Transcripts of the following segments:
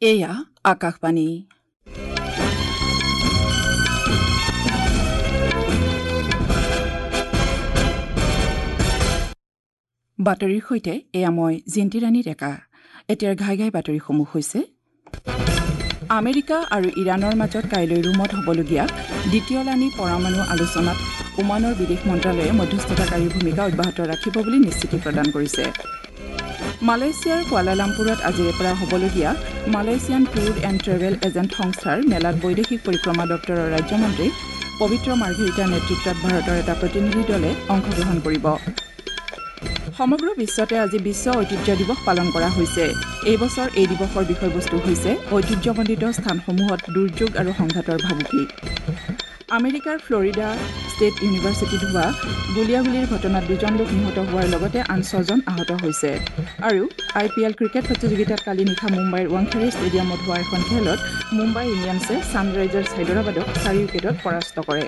এয়া আকাশবাণী। বাতৰিৰ সৈতে এয়া মই জিন্তিৰাণী ডেকা। এতিয়াৰ ঘাই ঘাই বাতৰিসমূহ হৈছে: আমেৰিকা আৰু ইৰাণৰ মাজত কাইলৈ ৰোমত হ'বলগীয়া দ্বিতীয়লানি পৰমাণু আলোচনাত ওমানৰ বিদেশ মন্ত্ৰালয়ে মধ্যস্থতাকাৰীৰ ভূমিকা অব্যাহত ৰাখিব বুলি নিশ্চিতি প্ৰদান কৰিছে। মালয়েছিয়াৰ কুৱালালামপুৰত আজিৰে পৰা হ'বলগীয়া Malaysian tour and travel agent সংস্থাৰ মেলাত বৈদেশিক পৰিক্ৰমা দপ্তৰৰ ৰাজ্যমন্ত্ৰী পবিত্ৰ মাৰ্ঘেৰিটাৰ নেতৃত্বত ভাৰতৰ এটা প্ৰতিনিধি দলে অংশগ্ৰহণ কৰিব। সমগ্ৰ বিশ্বতে আজি বিশ্ব ঐতিহ্য দিৱস পালন কৰা হৈছে। এই বছৰ এই দিৱসৰ বিষয়বস্তু হৈছে ঐতিহ্যমণ্ডিত স্থানসমূহত দুৰ্যোগ আৰু সংঘাতৰ ভাবুকি। আমেৰিকাৰ ফ্লৰিডা ষ্টেট ইউনিভাৰ্চিটিত হোৱা গুলীয়াগুলীৰ ঘটনাত 2জন লোক নিহত হোৱাৰ লগতে আন 6জন আহত হৈছে। আৰু আই পি এল ক্ৰিকেট প্ৰতিযোগিতাত কালি নিশা মুম্বাইৰ ৱাংখেড়ে ষ্টেডিয়ামত হোৱা এখন খেলত মুম্বাই ইণ্ডিয়ানছে ছানৰাইজাৰ্ছ হায়দৰাবাদক 4 উইকেটত পৰাস্ত কৰে।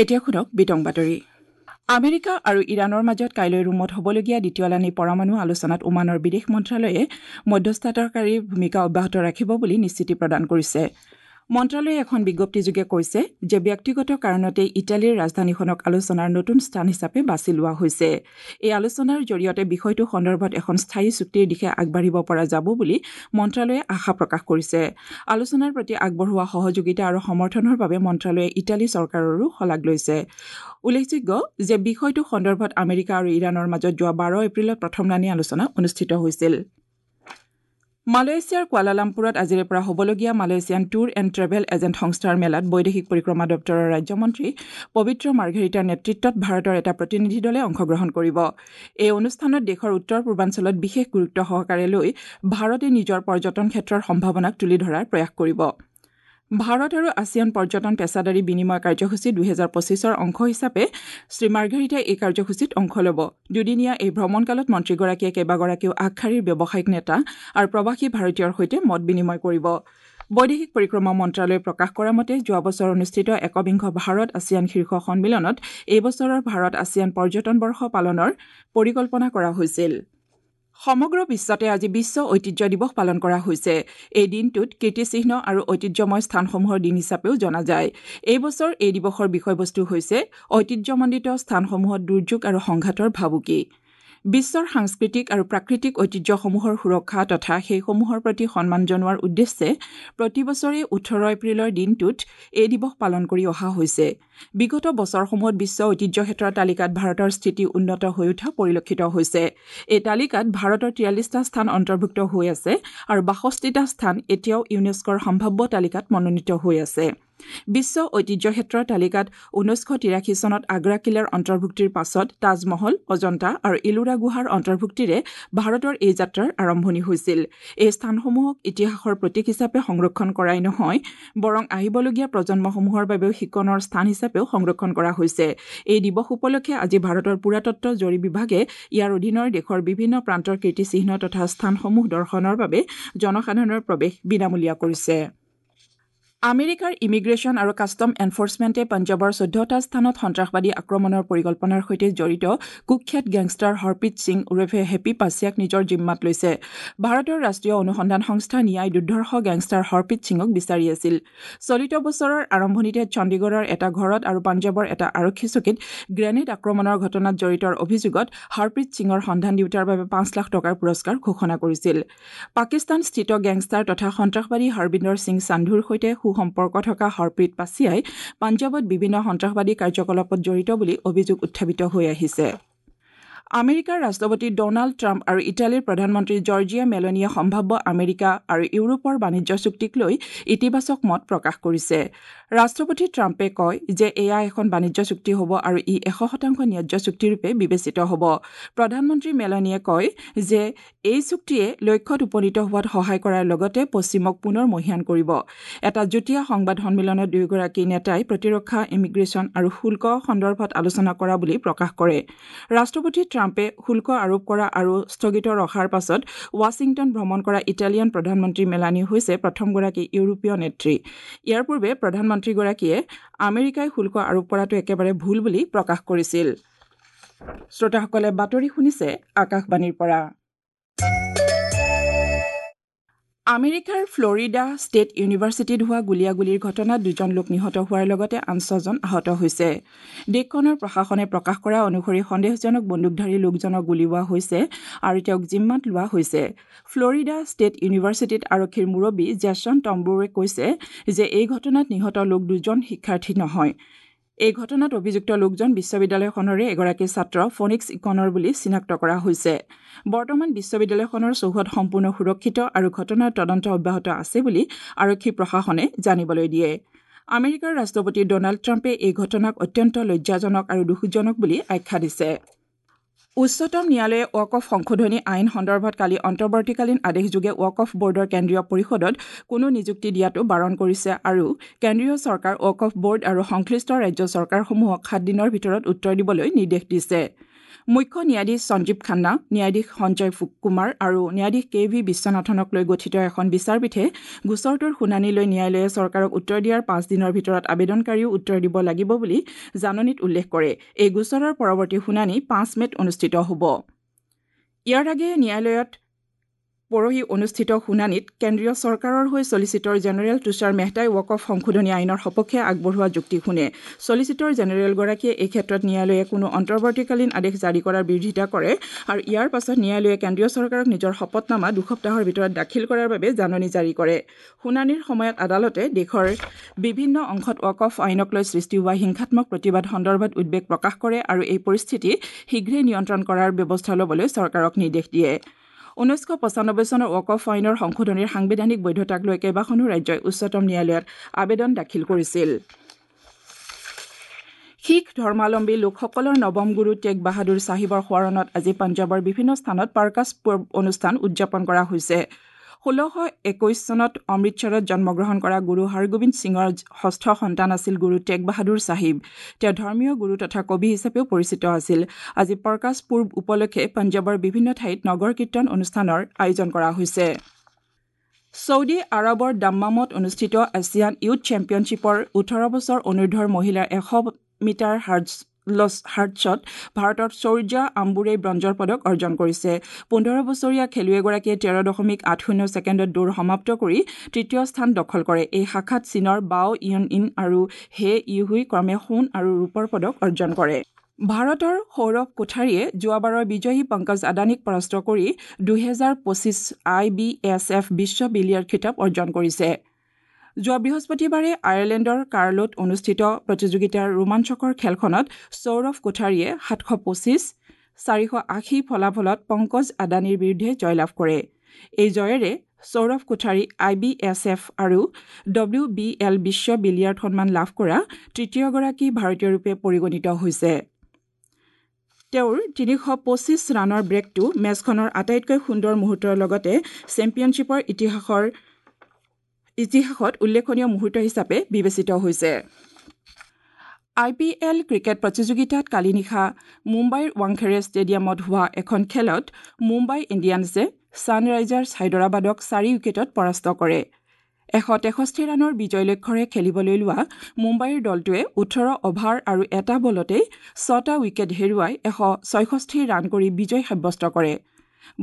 এতিয়া শুনক বিতং বাতৰি। আমেৰিকা আৰু ইৰাণৰ মাজত কাইলৈ ৰোমত হ'বলগীয়া দ্বিতীয়লানি পৰমাণু আলোচনাত ওমানৰ বিদেশ মন্ত্ৰালয়ে মধ্যস্থতাকাৰীৰ ভূমিকা অব্যাহত ৰাখিব বুলি নিশ্চিতি প্ৰদান কৰিছে। মন্ত্ৰালয়ে এখন বিজ্ঞপ্তিযোগে কৈছে যে ব্যক্তিগত কাৰণতে ইটালীৰ ৰাজধানীখনক আলোচনাৰ নতুন স্থান হিচাপে বাছি লোৱা হৈছে। এই আলোচনাৰ জৰিয়তে বিষয়টো সন্দৰ্ভত এখন স্থায়ী চুক্তিৰ দিশে আগবাঢ়িব পৰা যাব বুলি মন্ত্ৰালয়ে আশা প্ৰকাশ কৰিছে। আলোচনাৰ প্ৰতি আগবঢ়োৱা সহযোগিতা আৰু সমৰ্থনৰ বাবে মন্ত্ৰালয়ে ইটালী চৰকাৰৰো শলাগ লৈছে। উল্লেখযোগ্য যে বিষয়টো সন্দৰ্ভত আমেৰিকা আৰু ইৰাণৰ মাজত যোৱা 12 এপ্ৰিলত প্ৰথমলানি আলোচনা অনুষ্ঠিত হৈছিল। মালয়েছিয়াৰ কুৱালালামপুৰত আজিৰে পৰা হ'বলগীয়া Malaysian tour and travel agent সংস্থাৰ মেলাত বৈদেশিক পৰিক্ৰমা দপ্তৰৰ ৰাজ্যমন্ত্ৰী পবিত্ৰ মাৰ্ঘেৰিটাৰ নেতৃত্বত ভাৰতৰ এটা প্ৰতিনিধি দলে অংশগ্ৰহণ কৰিব। এই অনুষ্ঠানত দেশৰ উত্তৰ পূৰ্বাঞ্চলত বিশেষ গুৰুত্ব সহকাৰে লৈ ভাৰতে নিজৰ পৰ্যটন ক্ষেত্ৰৰ সম্ভাৱনাক তুলি ধৰাৰ প্ৰয়াস কৰিব। ভাৰত আৰু আছিয়ান পৰ্যটন পেছাদাৰী বিনিময় কাৰ্যসূচী 2025ৰ অংশ হিচাপে শ্ৰী মাৰ্ঘেৰিটাই এই কাৰ্যসূচীত অংশ ল'ব। দুদিনীয়া এই ভ্ৰমণকালত মন্ত্ৰীগৰাকীয়ে কেইবাগৰাকীও আগশাৰীৰ ব্যৱসায়িক নেতা আৰু প্ৰৱাসী ভাৰতীয়ৰ সৈতে মত বিনিময় কৰিব। বৈদেশিক পৰিক্ৰমা মন্ত্ৰালয়ে প্ৰকাশ কৰা মতে যোৱা বছৰ অনুষ্ঠিত একবিংশ ভাৰত আছিয়ান শীৰ্ষ সন্মিলনত এই বছৰৰ ভাৰত আছিয়ান পৰ্যটন বৰ্ষ পালনৰ পৰিকল্পনা কৰা হৈছিল। সমগ্ৰ বিশ্বতে আজি বিশ্ব ঐতিহ্য দিৱস পালন কৰা হৈছে। এই দিনটোত কীৰ্তিচিহ্ন আৰু ঐতিহ্যময় স্থানসমূহৰ দিন হিচাপেও জনা যায়। এই বছৰ এই দিৱসৰ বিষয়বস্তু হৈছে ঐতিহ্যমণ্ডিত স্থানসমূহত দুৰ্যোগ আৰু সংঘাতৰ ভাবুকি। বিশ্বৰ সাংস্কৃতিক আৰু প্ৰাকৃতিক ঐতিহ্যসমূহৰ সুৰক্ষা তথা সেইসমূহৰ প্ৰতি সন্মান জনোৱাৰ উদ্দেশ্যে প্ৰতি বছৰে 18 এপ্ৰিলৰ দিনটোত এই দিৱস পালন কৰি অহা হৈছে। বিগত বছৰসমূহত বিশ্ব ঐতিহ্য ক্ষেত্ৰৰ তালিকাত ভাৰতৰ স্থিতি উন্নত হৈ উঠা পৰিলক্ষিত হৈছে। এই তালিকাত ভাৰতৰ 43টা স্থান অন্তৰ্ভুক্ত হৈ আছে আৰু 62টা স্থান এতিয়াও ইউনেস্কোৰ সম্ভাৱ্য তালিকাত মনোনীত হৈ আছে। বিশ্ব ঐতিহ্য ক্ষেত্ৰৰ তালিকাত 1983 চনত আগ্ৰা কিলাৰ অন্তৰ্ভুক্তিৰ পাছত তাজমহল, অজন্তা আৰু ইলোৰা গুহাৰ অন্তৰ্ভুক্তিৰে ভাৰতৰ এই যাত্ৰাৰ আৰম্ভণি হৈছিল। এই স্থানসমূহক ইতিহাসৰ প্ৰতীক হিচাপে সংৰক্ষণ কৰাই নহয়, বৰং আহিবলগীয়া প্ৰজন্মসমূহৰ বাবেও শিকনৰ স্থান হিচাপেও সংৰক্ষণ কৰা হৈছে। এই দিৱস উপলক্ষে আজি ভাৰতৰ পুৰাতত্ব জৰীপ বিভাগে ইয়াৰ অধীনৰ দেশৰ বিভিন্ন প্ৰান্তৰ কীৰ্তিচিহ্ন তথা স্থানসমূহ দৰ্শনৰ বাবে জনসাধাৰণৰ প্ৰৱেশ বিনামূলীয়া কৰিছে। আমেৰিকাৰ ইমিগ্ৰেশ্যন আৰু কাষ্টম এনফৰ্চমেণ্টে পঞ্জাৱৰ 14টা স্থানত সন্ত্ৰাসবাদী আক্ৰমণৰ পৰিকল্পনাৰ সৈতে জড়িত কুখ্যাত গেংষ্টাৰ হৰপ্ৰীত সিং ওৰফে হেপী পাছিয়াক নিজৰ জিম্মাত লৈছে। ভাৰতৰ ৰাষ্ট্ৰীয় অনুসন্ধান সংস্থা নিয়াই দুৰ্ধৰ্ষ গেংষ্টাৰ হৰপ্ৰীত সিঙক বিচাৰি আছিল। চলিত বছৰৰ আৰম্ভণিতে চণ্ডীগড়ৰ এটা ঘৰত আৰু পঞ্জাৱৰ এটা আৰক্ষী চকীত গ্ৰেনেড আক্ৰমণৰ ঘটনাত জড়িতৰ অভিযোগত হৰপ্ৰীত সিঙৰ সন্ধান দিওঁতাৰ বাবে 5 লাখ টকাৰ পুৰস্কাৰ ঘোষণা কৰিছিল। পাকিস্তানস্থিত গেংষ্টাৰ তথা সন্ত্ৰাসবাদী হৰবিন্দৰ সিং সান্ধুৰ সৈতে সম্পৰ্ক থকা হৰপ্ৰীত পাছিয়াই পঞ্জাৱত বিভিন্ন সন্ত্ৰাসবাদী কাৰ্যকলাপত জড়িত বুলি অভিযোগ উত্থাপিত হৈ আহিছে। আমেৰিকাৰ ৰাষ্ট্ৰপতি ডনাল্ড ট্ৰাম্প আৰু ইটালীৰ প্ৰধানমন্ত্ৰী জৰ্জিয়া মেলনিয়ে সম্ভাৱ্য আমেৰিকা আৰু ইউৰোপৰ বাণিজ্য চুক্তিক লৈ ইতিবাচক মত প্ৰকাশ কৰিছে। ৰাষ্ট্ৰপতি ট্ৰাম্পে কয় যে এয়া এখন বাণিজ্য চুক্তি হ'ব আৰু ই 100% ন্যায্য চুক্তিৰূপে বিবেচিত হ'ব। প্ৰধানমন্ত্ৰী মেলনিয়ে কয় যে এই চুক্তিয়ে লক্ষ্যত উপনীত হোৱাত সহায় কৰাৰ লগতে পশ্চিমক পুনৰ মহীয়ান কৰিব। এটা যুটীয়া সংবাদ সন্মিলনত দুয়োগৰাকী নেতাই প্ৰতিৰক্ষা, ইমিগ্ৰেশ্যন আৰু শুল্ক সন্দৰ্ভত আলোচনা কৰা বুলি প্ৰকাশ কৰে। ৰাষ্ট্ৰপতি ট্ৰাম্পে শুল্ক আৰোপ কৰা আৰু স্থগিত ৰখাৰ পাছত ৱাশ্বিংটন ভ্ৰমণ কৰা ইটালিয়ান প্ৰধানমন্ত্ৰী মেলানী হৈছে প্ৰথমগৰাকী ইউৰোপীয় নেত্ৰী। ইয়াৰ পূৰ্বে প্ৰধানমন্ত্ৰীগৰাকীয়ে আমেৰিকাই শুল্ক আৰোপ কৰাটো একেবাৰে ভুল বুলি প্ৰকাশ কৰিছিল। শ্ৰোতাসকলে বাতৰি শুনিছে আকাশবাণীৰ পৰা। আমেৰিকাৰ ফ্লৰিডা ষ্টেট ইউনিভাৰ্চিটিত হোৱা গুলীয়াগুলীৰ ঘটনাত 2জন লোক নিহত হোৱাৰ লগতে আন 6জন আহত হৈছে। দেশখনৰ প্ৰশাসনে প্ৰকাশ কৰা অনুসৰি সন্দেহজনক বন্দুকধাৰী লোকজনক গুলীওৱা হৈছে আৰু তেওঁক জিম্মাত লোৱা হৈছে। ফ্লৰিডা ষ্টেট ইউনিভাৰ্চিটিত আৰক্ষীৰ মুৰব্বী জেছন টম্বোৰে কৈছে যে এই ঘটনাত নিহত লোক 2জন শিক্ষাৰ্থী নহয়। এই ঘটনাত অভিযুক্ত লোকজন বিশ্ববিদ্যালয়খনৰে এগৰাকী ছাত্ৰ ফনিক্স ইকনৰ বুলি চিনাক্ত কৰা হৈছে। বৰ্তমান বিশ্ববিদ্যালয়খনৰ চৌহদ সম্পূৰ্ণ সুৰক্ষিত আৰু ঘটনাৰ তদন্ত অব্যাহত আছে বুলি আৰক্ষী প্ৰশাসনে জানিবলৈ দিয়ে। আমেৰিকাৰ ৰাষ্ট্ৰপতি ডনাল্ড ট্ৰাম্পে এই ঘটনাক অত্যন্ত লজ্জাজনক আৰু দুখজনক বুলি আখ্যা দিছে। উচ্চতম ন্যায়ালয়ে ৱাকফ সংশোধনী আইন সন্দৰ্ভত কালি অন্তৰ্বৰ্তীকালীন আদেশযোগে ৱাকফ বৰ্ডৰ কেন্দ্ৰীয় পৰিষদত কোনো নিযুক্তি দিয়াটো বাৰণ কৰিছে আৰু কেন্দ্ৰীয় চৰকাৰ, ৱাকফ বৰ্ড আৰু সংশ্লিষ্ট ৰাজ্য চৰকাৰসমূহক 7 দিনৰ ভিতৰত উত্তৰ দিবলৈ নিৰ্দেশ দিছে। মুখ্য ন্যায়াধীশ সঞ্জীৱ খান্না, ন্যায়াধীশ সঞ্জয় কুমাৰ আৰু ন্যায়াধীশ কে ভি বিশ্বনাথনক লৈ গঠিত এখন বিচাৰপীঠে গোচৰটোৰ শুনানি লৈ ন্যায়ালয়ে চৰকাৰক উত্তৰ দিয়াৰ 5 দিনৰ ভিতৰত আবেদনকাৰীও উত্তৰ দিব লাগিব বুলি জাননীত উল্লেখ কৰে। এই গোচৰৰ পৰৱৰ্তী শুনানি 5 মে'ত অনুষ্ঠিত হ'ব। ইয়াৰ আগেয়ে ন্যায়ালয়ত পৰহি অনুষ্ঠিত শুনানিত কেন্দ্ৰীয় চৰকাৰৰ হৈ ছলিচিটৰ জেনেৰেল তুষাৰ মেহতাই ৱাকফ সংশোধনী আইনৰ সপক্ষে আগবঢ়োৱা যুক্তি শুনে। ছলিচিটৰ জেনেৰেলগৰাকীয়ে এই ক্ষেত্ৰত ন্যায়ালয়ে কোনো অন্তৰ্বৰ্তীকালীন আদেশ জাৰি কৰাৰ বিৰোধিতা কৰে আৰু ইয়াৰ পাছত ন্যায়ালয়ে কেন্দ্ৰীয় চৰকাৰক নিজৰ শপতনামা 2 সপ্তাহৰ ভিতৰত দাখিল কৰাৰ বাবে জাননী জাৰি কৰে। শুনানিৰ সময়ত আদালতে দেশৰ বিভিন্ন অংশত ৱাকফ আইনক লৈ সৃষ্টি হোৱা হিংসাত্মক প্ৰতিবাদ সন্দৰ্ভত উদ্বেগ প্ৰকাশ কৰে আৰু এই পৰিস্থিতি শীঘ্ৰে নিয়ন্ত্ৰণ কৰাৰ ব্যৱস্থা ল'বলৈ চৰকাৰক নিৰ্দেশ দিয়ে। 1995 চনৰ ৱাকফ আইনৰ সংশোধনীৰ সাংবিধানিক বৈধতাক লৈ কেইবাখনো ৰাজ্যই উচ্চতম ন্যায়ালয়ত আবেদন দাখিল কৰিছিল। শিখ ধৰ্মাৱলম্বী লোকসকলৰ নৱম গুৰু টেগ বাহাদুৰ চাহিবৰ সোঁৱৰণত আজি পঞ্জাৱৰ বিভিন্ন স্থানত প্ৰকাশ পৰ্ব অনুষ্ঠান উদযাপন কৰা হৈছে। 1621 চনত অমৃতসৰত জন্মগ্ৰহণ কৰা গুৰু হৰগোবিন্দ সিঙৰ ষষ্ঠ সন্তান আছিল গুৰু টেগ বাহাদুৰ চাহিব। তেওঁ ধৰ্মীয় গুৰু তথা কবি হিচাপেও পৰিচিত আছিল। আজি প্ৰকাশ পূৰ্ব উপলক্ষে পঞ্জাৱৰ বিভিন্ন ঠাইত নগৰ কীৰ্তন অনুষ্ঠানৰ আয়োজন কৰা হৈছে। ছৌদি আৰৱৰ দাম্মামত অনুষ্ঠিত এছিয়ান ইউথ চেম্পিয়নশ্বিপৰ 18 বছৰ অনুৰ্ধৰ মহিলাৰ 100 মিটাৰ হাৰ্ডছত ভাৰতৰ শৌৰ্যা আম্বুৰে ব্ৰঞ্জৰ পদক অৰ্জন কৰিছে। 15 বছৰীয়া খেলুৱৈগৰাকীয়ে 13.80 ছেকেণ্ডত দৌৰ সমাপ্ত কৰি তৃতীয় স্থান দখল কৰে। এই শাখাত চীনৰ বাও ইয়ন ইন আৰু হে ইউহুই ক্ৰমে সোণ আৰু ৰূপৰ পদক অৰ্জন কৰে। ভাৰতৰ সৌৰভ কোঠাৰীয়ে যোৱাবাৰৰ বিজয়ী পংকজ আদানীক পৰাস্ত কৰি 2025 IBSF বিশ্ব বিলিয়াৰ্ড খিতাপ অৰ্জন কৰিছে। যোৱা বৃহস্পতিবাৰে আয়াৰলেণ্ডৰ কাৰ্লোত অনুষ্ঠিত প্ৰতিযোগিতাৰ ৰোমাঞ্চকৰ খেলখনত সৌৰভ কোঠাৰীয়ে 725 480 ফলাফলত পংকজ আদানীৰ বিৰুদ্ধে জয়লাভ কৰে। এই জয়েৰে সৌৰভ কোঠাৰী IBSF আৰু WBL বিশ্ব বিলিয়াৰ্ড সন্মান লাভ কৰা তৃতীয়গৰাকী ভাৰতীয় ৰূপে পৰিগণিত হৈছে। তেওঁৰ 325 ৰানৰ ব্ৰেকটো মেচখনৰ আটাইতকৈ সুন্দৰ মুহূৰ্তৰ লগতে চেম্পিয়নশ্বিপৰ ইতিহাসত উল্লেখনীয় মুহূৰ্ত হিচাপে বিবেচিত হৈছে। IPL cricket প্ৰতিযোগিতাত কালি নিশা মুম্বাইৰ ৱাংখেৰে ষ্টেডিয়ামত হোৱা এখন খেলত মুম্বাই ইণ্ডিয়ানছে ছানৰাইজাৰ্ছ হায়দৰাবাদক 4 উইকেটত পৰাস্ত কৰে। 163 ৰানৰ বিজয় লক্ষ্যৰে খেলিবলৈ লোৱা মুম্বাইৰ দলটোৱে 18 অভাৰ আৰু এটা বলতেই 6টা উইকেট হেৰুৱাই 166 ৰান কৰি বিজয় সাব্যস্ত কৰে।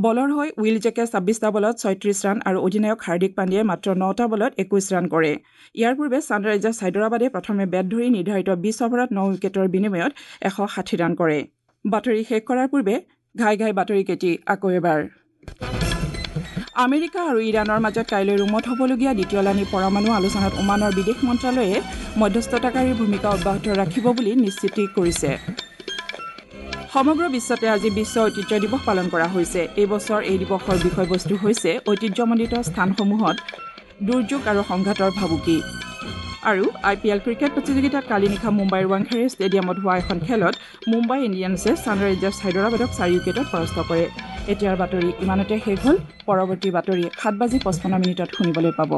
বলৰ হৈ will জেকে 26টা বলত 36 ৰান আৰু অধিনায়ক হাৰ্দিক পাণ্ডিয়াই মাত্ৰ 9টা বলত 21 ৰান কৰে। ইয়াৰ পূৰ্বে ছানৰাইজাৰ্ছ হায়দৰাবাদে প্ৰথমে বেট ধৰি নিৰ্ধাৰিত 20 অভাৰত 9 উইকেটৰ বিনিময়ত 160 ৰান কৰে। বাতৰি শেষ কৰাৰ পূৰ্বে ঘাই ঘাই বাতৰিকেইটি আকৌ এবাৰ। আমেৰিকা আৰু ইৰাণৰ মাজত কাইলৈ ৰোমত হ'বলগীয়া দ্বিতীয়লানি পৰমাণু আলোচনাত ওমানৰ বিদেশ মন্ত্ৰালয়ে মধ্যস্থতাকাৰীৰ ভূমিকা অব্যাহত ৰাখিব বুলি নিশ্চিতি কৰিছে। সমগ্ৰ বিশ্বতে আজি বিশ্ব ঐতিহ্য দিৱস পালন কৰা হৈছে। এই বছৰ এই দিৱসৰ বিষয়বস্তু হৈছে ঐতিহ্যমণ্ডিত স্থানসমূহত দুৰ্যোগ আৰু সংঘাতৰ ভাবুকি। আৰু IPL cricket প্ৰতিযোগিতাত কালি নিশা মুম্বাইৰ ৱাংখেৰে ষ্টেডিয়ামত হোৱা এখন খেলত মুম্বাই ইণ্ডিয়ানছে ছানৰাইজাৰ্ছ হায়দৰাবাদক 4 উইকেটত পৰাস্ত কৰে। এতিয়াৰ বাতৰি ইমানতে শেষ হ'ল। পৰৱৰ্তী বাতৰি 7:55 শুনিবলৈ পাব।